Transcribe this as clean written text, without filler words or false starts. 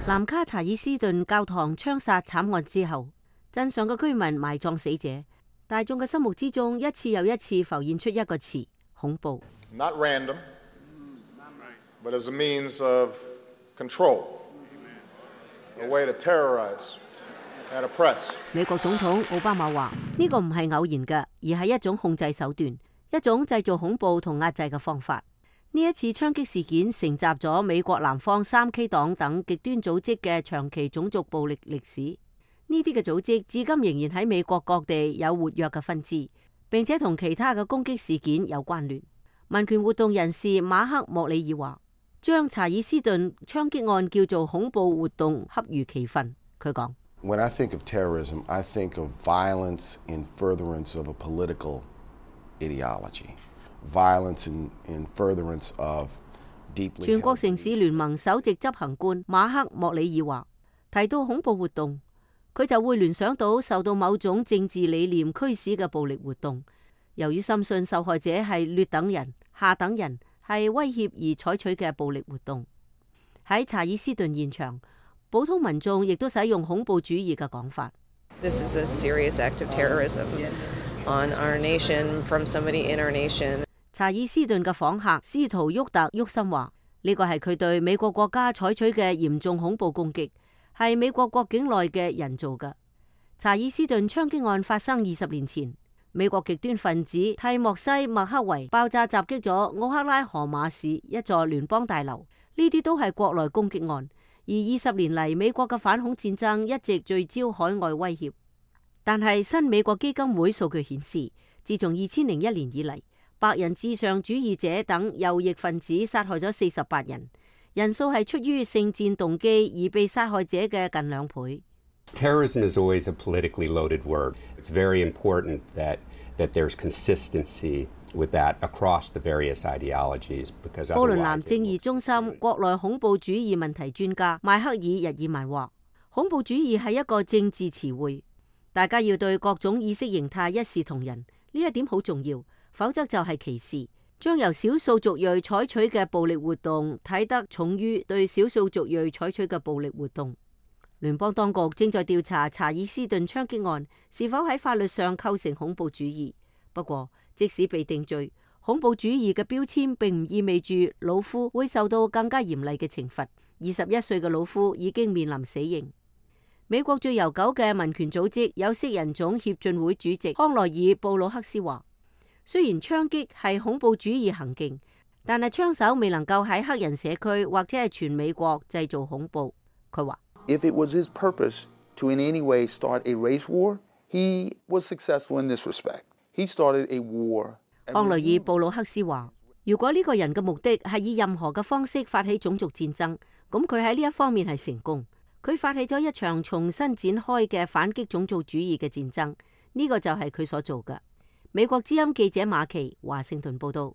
南卡查爾斯頓教堂槍殺慘案之後，鎮上嘅居民埋葬死者，大眾嘅心目之中一次又一次浮現出一個詞：恐怖。Not random, but as a means of control, a way to terrorize and oppress. 美國總統奧巴馬話：呢個唔係偶然嘅，而係一種控制手段，一種製造恐怖同壓制嘅方法。呢一次槍擊事件承襲咗美國南方3K 黨等極端組織嘅長期種族暴力歷史。呢啲嘅組織至今仍然喺美國各地有活躍嘅分支，並且同其他嘅攻擊事件有關聯。民權活動人士馬克莫里爾話：將查爾斯頓槍擊案叫做恐怖活動恰如其分。佢講：When I think of terrorism, I think of violence in furtherance of a political ideology.Violence in furtherance of deeply. 全國城市聯盟首席執行官馬克莫里爾話：提到恐怖活動，佢就會聯想到受到某種政治理念驅使嘅暴力活動。由於深信受害者係劣等人、下等人，係威脅而採取嘅暴力活動。喺查爾斯頓現場，普通民眾亦都使用恐怖主義嘅講法。This is a serious act of terrorism.On our nation, from somebody in our nation. 查爾斯頓嘅訪客斯圖沃特沃森話：呢個係佢對美國國家採取嘅嚴重恐怖攻擊，係美國國境內嘅人做嘅。查爾斯頓槍擊案發生20年前，美國極端分子蒂莫西麥克維爆炸襲擊咗奧克拉荷馬市一座聯邦大樓，呢啲都係國內攻擊案。而20年嚟，美國嘅反恐戰爭一直聚焦海外威脅。但係新美國基金會數據顯示，自從2001年以嚟，白人至上主義者等右翼分子殺害咗48人，人數係出於聖戰動機而被殺害者嘅近2倍。Terrorism is always a politically loaded word. It's very important that there's consistency with that across the various ideologies. Because 波倫南正義中心國內恐怖主義問題專家邁克爾日耳曼話：恐怖主義係一個政治詞彙。大家要對各種意識形態一視同仁，呢一點好重要，否則就係歧視，將由少數族裔採取嘅暴力活動睇得重於對少數族裔採取嘅暴力活動。聯邦當局正在調查查爾斯頓槍擊案是否喺法律上構成恐怖主義。不過，即使被定罪，恐怖主義嘅標籤並唔意味住魯夫會受到更加嚴厲嘅懲罰。21歲嘅魯夫已經面臨死刑。美國最悠久嘅民權組織有色人種協進會主席康奈爾布魯克斯話：雖然槍擊係恐怖主義行徑，但係槍手未能夠喺黑人社區或者係全美國製造恐怖。佢話：If it was his purpose to in any way start a race war, he was successful in this respect. He started a war. 康奈爾布魯克斯話：如果呢個人嘅目的係以任何嘅方式發起種族戰爭，咁佢喺呢一方面係成功。佢發起咗一場重新展開嘅反擊種族主義嘅戰爭，呢個就係佢所做嘅。美國之音記者馬琪華盛頓報道。